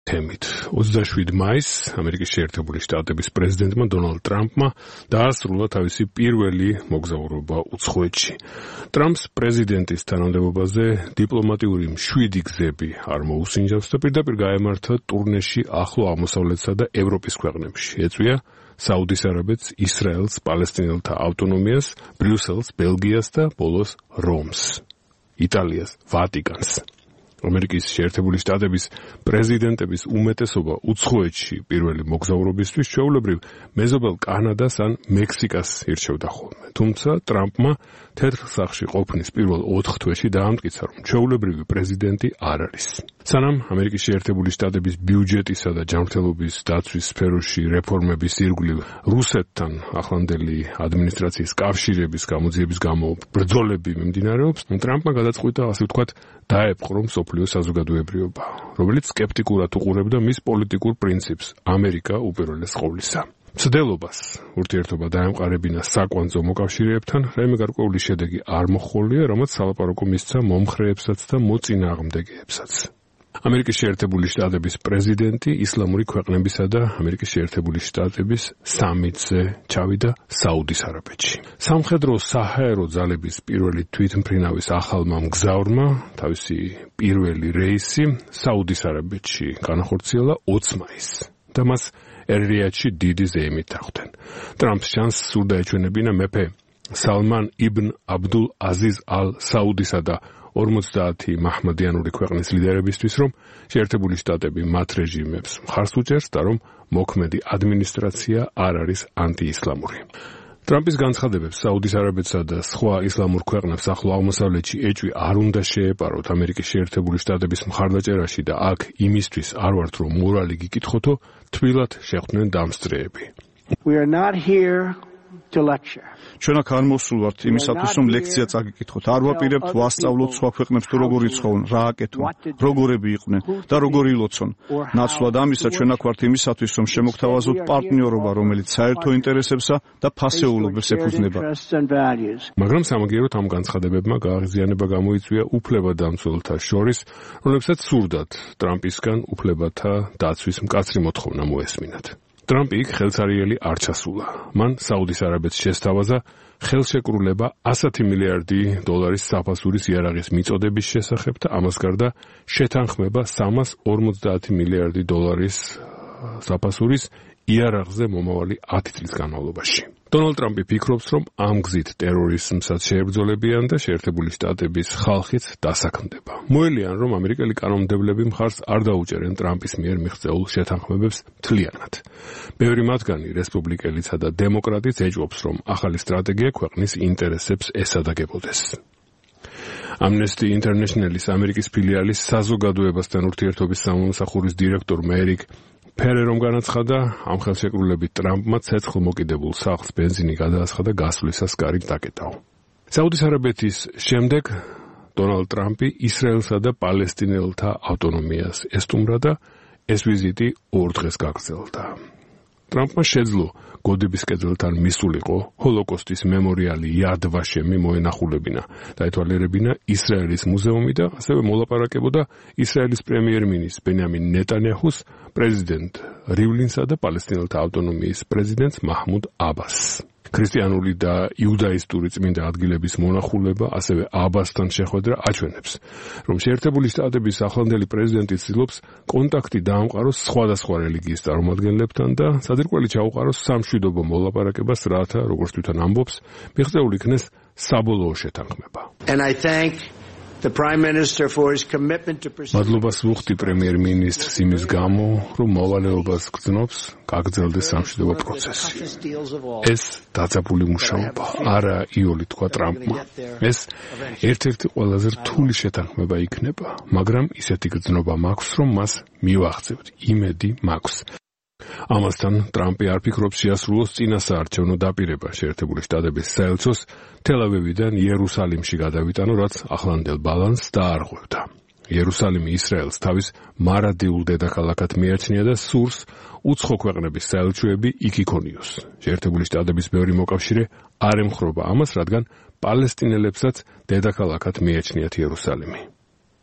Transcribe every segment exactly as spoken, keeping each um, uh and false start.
თემით. ოცდაშვიდი მაისს ამერიკის შეერთებული შტატების პრეზიდენტმა დონალდ ტრამპმა დაასრულა თავისი პირველი მოგზაურობა უცხოეთში. ტრამპს პრეზიდენტის თანამდებობაზე დიპლომატიური მშვიდი გზები არ მოუსინჯავს და პირდაპირ გაემართა ტურნეში ახლო აღმოსავლეთსა და ევროპის ქვეყნებში. ეწვია საუდის არაბეთს, ისრაელს, პალესტინელთა ავტონომიას, ბრიუსელს, ბელგიას და ბოლოს რომს, იტალიას, ვატიკანს. ამერიკის შეერთებული შტატების პრეზიდენტების უმეტესობა უცხოეთში პირველი მოგზაურობისთვის ჩვეულებრივ მეზობელ კანადას ან მექსიკას ირჩევდა ხოლმე. თუმცა ტრამპმა თეთრ სახლში ყოფნის პირველ ოთხ თვეში დაამტკიცა, რომ ჩვეულებრივი პრეზიდენტი არ არის. სანამ ამერიკის შეერთებული შტატების ბიუჯეტისა და ჯანმრთელობის დაცვის სფეროში რეფორმების ირგვლივ რუსეთთან ახლანდელი ადმინისტრაციის კავშირების გამოძიების გამო ბრძოლები მიმდინარეობს, ტრამპმა გადაწყვიტა, ასე ვთქვათ, დაეპყრო მსოფლიო საზოგადოებრიობა, რომელიც სკეპტიკურად უყურებდა მის პოლიტიკურ პრინციპს ამერიკა უპირველეს ყოვლისა. მცდელობას ურთიერთობა დაემყარებინა საკვანძო მოკავშირეებთან, რაიმე გარკვეული შედეგი არ მოჰყოლია, რამაც სალაპარაკო მისცა მომხრეებსაც და მოწინააღმდეგეებსაც. ამერიკის შეერთებული შტატების პრეზიდენტი ისლამური ქვეყნებისა და ამერიკის შეერთებული შტატების სამიტზე ჩავიდა საუდის არაბეთში. სამხედრო საჰაერო ძალების პირველი თვითმფრინავის ახალმა მგზავრმა თავისი პირველი რეისი საუდის არაბეთში განახორციელა ოცი მაისს და მას ერ-რიადში დიდი ზეიმით ახვდნენ. ტრამპს ჩანს სურდა ეჩვენებინა მეფე სალმან იბნ აბდულ აზიზ ალ საუდისა და ორმოცდაათი მაჰმადიანური ქვეყნის ლიდერებისთვის, რომ შეერთებული შტატები მათ რეჟიმებს მხარს უჭერს და რომ მოქმედი ადმინისტრაცია არ არის ანტიისლამური. ტრამპის განცხადებებს საუდის არაბეთსა და სხვა ისლამურ ქვეყნებს ახლო აღმოსავლეთში ეჭვი არ უნდა შეეპაროთ ამერიკის შეერთებული შტატების მხარდაჭერაში და აქ იმისთვის არ ვართ, რომ მორალი გიკითხოთო, თბილად შეხვდნენ დამსწრეები. We are not here to lecture. ჩვენ აქ არ მოსულვართ იმისათვის, რომ ლექცია წაგიკითხოთ. არ ვაპირებთ ვასწავლოთ სხვა ქვეყნებს თუ როგორ იცხოვენ, რა აკეთონ, როგორები იყვნენ და როგორ ილოცონ. ნაცვლად ამისა, ჩვენ აქ ვართ იმისათვის, რომ შემოგთავაზოთ პარტნიორობა, რომელიც საერთო ინტერესებსა და ფასეულობებს ეფუძნება. მაგრამ სამაგიეროდ ამ განცხადებებმა გააღიზიანება გამოიწვია უფლებადამცველთა შორის, რომლებსაც სურდათ ტრამპისგან უფლებათა დაცვის მკაცრი მოთხოვნა მოესმინათ. ტრამპი იქ ხელსარიელი არ ჩასულა. მან საუდის არაბეთს შესთავაზა ხელშეკრულება ასი მილიარდი დოლარის საფასურის იარაღის მიწოდების შესახებ და ამას გარდა შეთანხმება სამას ორმოცდაათი მილიარდი დოლარის საფასურის იარაღზე მომავალი ათი წლის განმავლობაში. დონალდ ტრამპი ფიქრობს, რომ ამ გზით ტერორიზმსაც შეებრძოლებიან და შეერთებული შტატების ხალხიც დასაქმდება. მოელიან, რომ ამერიკელი კანონმდებლები მხარს არ დაუჭერენ ტრამპის მიერ მიღწეულ შეთანხმებებს მთლიანად. ბევრი მათგანი, რესპუბლიკელისა და დემოკრატიც ეჭვობს, რომ ახალი სტრატეგია ქვეყნის ინტერესებს ესადაგებოდეს. Amnesty International-ის ამერიკის ფილიალის საზოგადოებასთან ურთიერთობის სამსახურის დირექტორმა ერიკ ფერერომ განაცხადა, ამ ხელშეკრულებით ტრამპმა ცეცხლმოკიდებულ სახლს ბენზინი გადაასხადა გასვლისას კარით დაკეტაო. საუდის არაბეთის შემდეგ დონალდ ტრამპი ისრაელსა და პალესტინელთა ავტონომიას ესტუმრა და ეს ვიზიტი ორ დღეს გაგრძელდა. ტრამპმა შეძლო გოდების კედელთან მისულიყო ჰოლოკოსტის მემორიალი იად ვაშემი მოენახულებინა და ეთვალიერებინა ისრაელის მუზეუმი და ასევე მოლაპარაკებოდა ისრაელის პრემიერ-მინისტრ ბენიამინ ნეტანიაჰუს პრეზიდენტ რივლინსა და პალესტინელთა ავტონომიის პრეზიდენტ მაჰმუდ აბასს. ქრისტიანული და იუდაისტური წმინდა ადგილების მონახულება, ასევე აბასთან შეხვედრა აჩვენებს, რომ შეერთებული შტატების ახლანდელი პრეზიდენტი ცდილობს კონტაქტი დაამყაროს სხვადასხვა რელიგიის წარმომადგენლებთან და საძირკველი ჩაუყაროს სამშვიდობო მოლაპარაკებას, რათა, როგორც თვითონ ამბობს, მიღწეული იქნეს საბოლოო შეთანხმება. And I thank the Prime Minister for his commitment to pursue. მადლობას ვუხდი პრემიერ-მინისტრს იმის გამო, რომ მოვალეობას გრძნობს გაგრძელდეს სამშვიდობო პროცესი. ეს დაძაბული მუშაობა, არა იული თქვა ტრამპმა. ეს ერთ-ერთი ყველაზე რთული შეთანხმება იქნება, მაგრამ ისეთი გრძნობა მაქვს, რომ მას მივაღწევთ, იმედი მაქვს. ამასთან ტრამპი არ ფიქრობს შეასრულოს წინასაარჩევნო დაპირება შეერთებული შტატების საელჩოს თელ-ავივიდან იერუსალიმში გადავიტანო, რაც ახლანდელ ბალანსს დაარღვევდა. იერუსალიმი ისრაელს თავის მარადიულ დედაქალაქად მიაჩნია და სურს უცხო ქვეყნების საელჩოები იქ იქონიოს. შეერთებული შტატების ბევრი მოკავშირე არ ემხრობა ამას, რადგან პალესტინელებსაც დედაქალაქად მიაჩნიათ იერუსალიმი.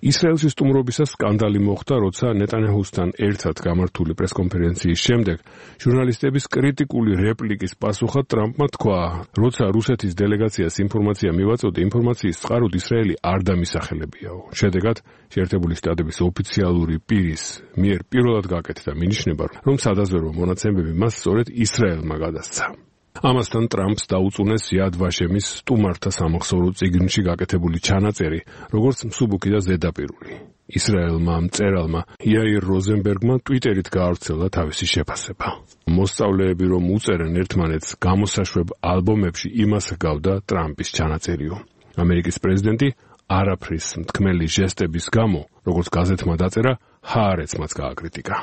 ისრაელში სტუმრობისას სკანდალი მოხდა, როცა ნეტანიაჰუსთან ერთად გამართული პრესკონფერენციის შემდეგ ჟურნალისტების კრიტიკული რეპლიკის პასუხად ტრამპმა თქვა, როცა რუსეთის დელეგაციას ინფორმაცია მივაწოდე, ინფორმაციის წყაროდ ისრაელი არ დამისახელებიაო. შედეგად შეერთებული შტატების ოფიციალური პირის მიერ პირველად გაკეთდა მინიშნება, რომ სადაზვერვო მონაცემები მას სწორედ ისრაელმა გადასცა. ამასთან ტრამპს დაუწუნეს იად ვაშემის სტუმართა სამახსოვრო წიგნში გაკეთებული ჩანაწერი, როგორც მსუბუქი და ზედაპირული. ისრაელმა მწერალმა იაირ როზენბერგმა ტვიტერით გაავრცელა თავისი შეფასება. მოსწავლეები რომ უწერენ ერთმანეთს გამოსაშვებ ალბომებში, იმას ჰგავდა ტრამპის ჩანაწერიო. ამერიკის პრეზიდენტი არაფრის მთქმელი ჟესტების გამო, როგორც გაზეთმა დაწერა, ჰაარეცმაც გააკრიტიკა.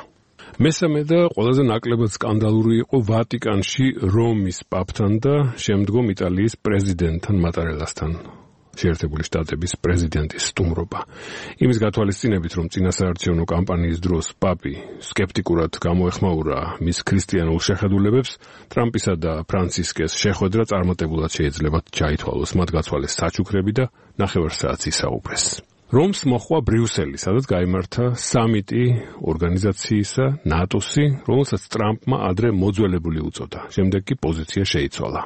მესამე და ყველაზე ნაკლებად სკანდალური იყო ვატიკანში რომის პაპთან და შემდგომ იტალიის პრეზიდენტთან მატარელასთან შეერთებული შტატების პრეზიდენტის სტუმრობა. იმის გათვალისწინებით, რომ წინასაარჩევნო კამპანიის დროს პაპი სკეპტიკურად გამოეხმაურა მის ქრისტიანულ შეხედულებებს, ტრამპისა და ფრანცისკეს შეხვედრა წარმატებულად შეიძლება ჩაითვალოს, მათ გაცვალეს საჩუქრები და ნახევარ საათს ისაუბრეს. რომს მოხვა ბრიუსელი, სადაც გაიმართა სამიტი ორგანიზაციისა ნატოსი, რომელსაც ტრამპმა ადრე მოძველებული უწოდა. შემდეგ კი პოზიცია შეიცვალა.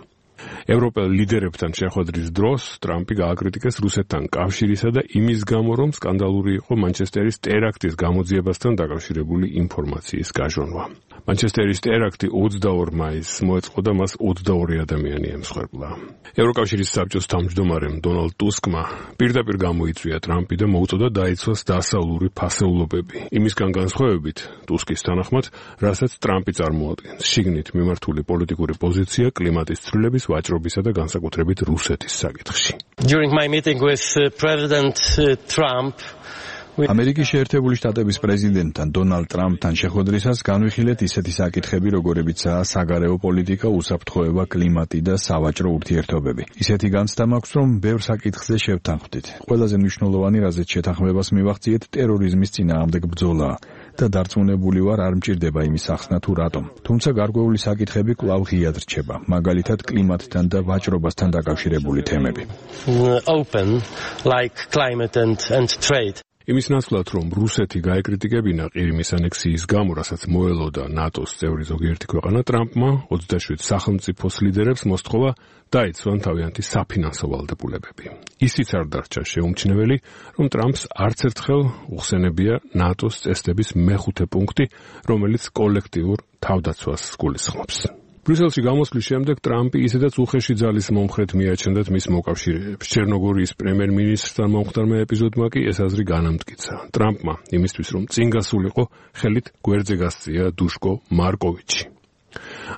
ევროპელ ლიდერებთან შეხვედრის დროს ტრამპი გააკრიტიკეს რუსეთთან კავშირისა და იმის გამო, რომ სკანდალური იყო მანჩესტერის ტერაქტის გამოძიებასთან დაკავშირებული ინფორმაციის გაჟონვა. მანჩესტერის ტერაქტი ოცდაორ მაისს მოეწყო და მას ოცდაორი ადამიანი ემსხვერპლა. ევროკავშირის საბჭოს თავმჯდომარემ დონალდ ტუსკმა პირდაპირ გამოიწვია ტრამპი და მოუწოდა დაიცვას დასავლური ფასეულობები. იმისგან განსხვავებით, ტუსკის თანახმად, რასაც ტრამპი წარმოადგენს, შიგნით მიმართული პოლიტიკური პოზიცია კლიმატის ცვლილების ვაჭრობისა და განსაკუთრებით რუსეთის საკითხში. During my meeting with uh, President uh, Trump, ამერიკის შეერთებული შტატების პრეზიდენტთან დონალდ ტრამპთან შეხვედრისას განვიხილეთ ისეთი საკითხები, როგორებიცაა საგარეო პოლიტიკა, უსაფრთხოება, კლიმატი და სავაჭრო ურთიერთობები. ისეთი განცდა მაქვს, რომ ბევრ საკითხზე შევთანხმდით. ყველაზე მნიშვნელოვანი, რაზეც შეთანხმებას მივახციეთ, ტერორიზმის წინააღმდეგ ბრძოლაა და დარწმუნებული ვარ, არ მჭირდება იმის ახსნა თუ რატომ. თუმცა გარკვეული საკითხები კვლავ ღიად რჩება, მაგალითად კლიმატთან და ვაჭრობასთან დაკავშირებული თემები. open like climate and and trade. იმის ნაცვლად, რომ რუსეთი გაეკრიტიკებინა ყირიმის ანექსიის გამო, რასაც მოელოდა ნატოს წევრი ზოგიერთი ქვეყანა, ტრამპმა ოცდაშვიდ სახელმწიფოს ლიდერებს მოსთხოვა დაიცვან თავიანთი საფინანსო ვალდებულებები. ისიც არ დარჩა შეუმჩნეველი, რომ ტრამპს არც ერთხელ უხსენებია ნატოს წესდების მეხუთე პუნქტი, რომელიც კოლექტიურ თავდაცვას გულისხმობს. ბრიუსელში გამოსვლის შემდეგ ტრამპი ისედაც უხეში ძალის მომხრედ მიაჩნდათ მის მოკავშირეებს. ჩერნოგორიის პრემიერ-მინისტრთან მომხდარმა ეპიზოდმა კი ეს აზრი განამტკიცა. ტრამპმა იმისთვის, რომ წინ გასულიყო, ხელით გვერდზე გასწია დუშკო მარკოვიჩი.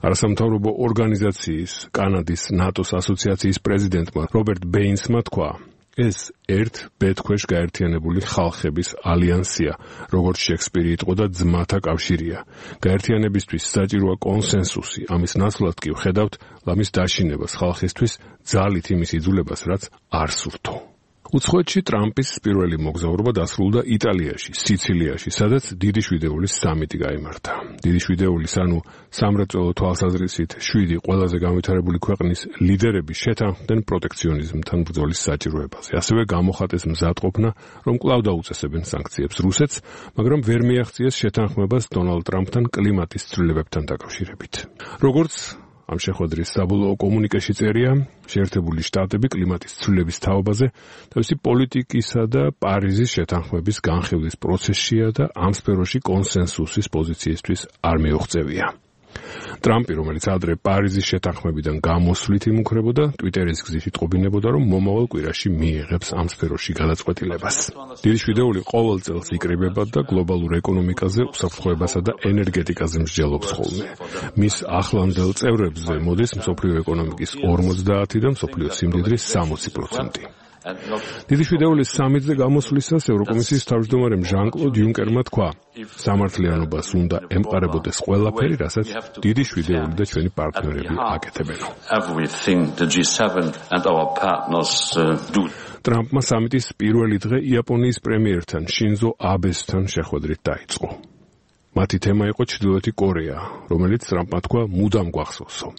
არასამთავრობო ორგანიზაციის კანადის ნატოს ასოციაციის პრეზიდენტმა რობერტ ბეინსმა თქვა, ეს ერთ ბედქვეშ გაერთიანებული ხალხების ალიანსია, როგორც შექსპირი იტყოდა და ძმათა კავშირია. გაერთიანებისთვის საჭიროა კონსენსუსი, ამის ნაცვლად კი ვხედავთ ლამის დაშინებას ხალხისთვის ძალით იმის იძულებას, რაც არ სურთო. უცხოეთში ტრამპის პირველი მოგზაურობა დასრულდა იტალიაში, სიცილიაში, სადაც დიდი შვიდეულის სამიტი გაიმართა. დიდი შვიდეულის, ანუ სამრეწველო თვალსაზრისით შვიდი ყველაზე განვითარებული ქვეყნის ლიდერები შეთანხმდნენ პროტექციონიზმთან ბრძოლის საჭიროებაზე. ასევე გამოხატეს მზადყოფნა, რომ კვლავ დაუწესებენ სანქციებს რუსეთს, მაგრამ ვერ მიაღწიეს შეთანხმებას დონალდ ტრამპთან კლიმატის ცვლილებებთან დაკავშირებით. როგორც ამ შეხვედრის საბოლოო კომუნიკეში წერია, შეერთებული შტატები კლიმატის ცვლილების თაობაზე თავისი პოლიტიკისა და პარიზის შეთანხმების განხილვის პროცესშია და ამ სფეროში კონსენსუსის პოზიციისთვის არ მიუღწევია. ტრამპი, რომელიც ადრე პარიზის შეთანხმებიდან გამოსვლით იმუქრებოდა, ტვიტერის გზით იტყობინებოდა, რომ მომავალ კვირაში მიიღებს ამ სფეროში გადაწყვეტილებას. დიდი შვიდეული ყოველ წელს იკრიბება და გლობალურ ეკონომიკაზე, უსაფრთხოებასა და ენერგეტიკაზე მსჯელობს ხოლმე. მის ახლანდელ წევრებზე მოდის მსოფლიო ეკონომიკის ორმოცდაათი და მსოფლიო სიმდიდრის სამოცი პროცენტი. დიდი შვიდეულის სამიტზე გამოსვლისას ევროკომისიის თავმჯდომარემ ჟან-კლოდ იუნკერმა თქვა, სამართლიანობას უნდა ემყარებოდეს ყველაფერი, რასაც დიდი შვიდეული და ჩვენი პარტნიორები აკეთებენო. ტრამპმა სამიტის პირველი დღე იაპონიის პრემიერთან შინზო აბესთან შეხვედრით დაიწყო. მათი თემა იყო ჩრდილოეთი კორეა, რომელიც ტრამპმა თქვა მუდამ გვახსოვსო.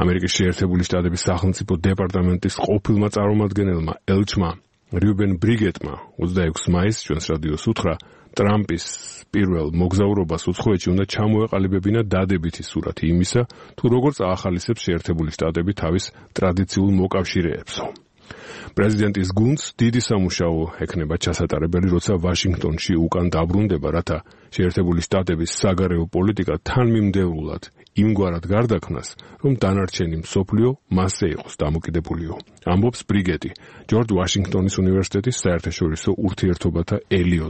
ამერიკის შეერთებული შტატების სახელმწიფო დეპარტამენტის ყოფილმა წარმომადგენელმა ელჩმა რიუბენ ბრიგეტმა ოცდაექვსი მაისს ჩვენს რადიოს უთხრა, ტრამპის პირველ მოგზაურობას უცხოეთში უნდა ჩამოეყალიბებინა დადებითი სურათი იმისა, თუ როგორ წაახალისებს შეერთებული შტატები თავის ტრადიციულ მოკავშირეებსო. პრეზიდენტის გუნდს დიდი სამუშაო ექნება ჩასატარებელი, როცა ვაშინგტონში უკან დაბრუნდება, რათა შეერთებული შტატების საგარეო პოლიტიკა თანმიმდევრულად იმგვარად გარდაქმნას, რომ დანარჩენი მსოფლიო მასზე იყოს დამოკიდებულიო. ამბობს ბრიგეტი, ჯორჯ ვაშინგტონის უნივერსიტეტის საერთაშორისო ურთიერთობათა ელიო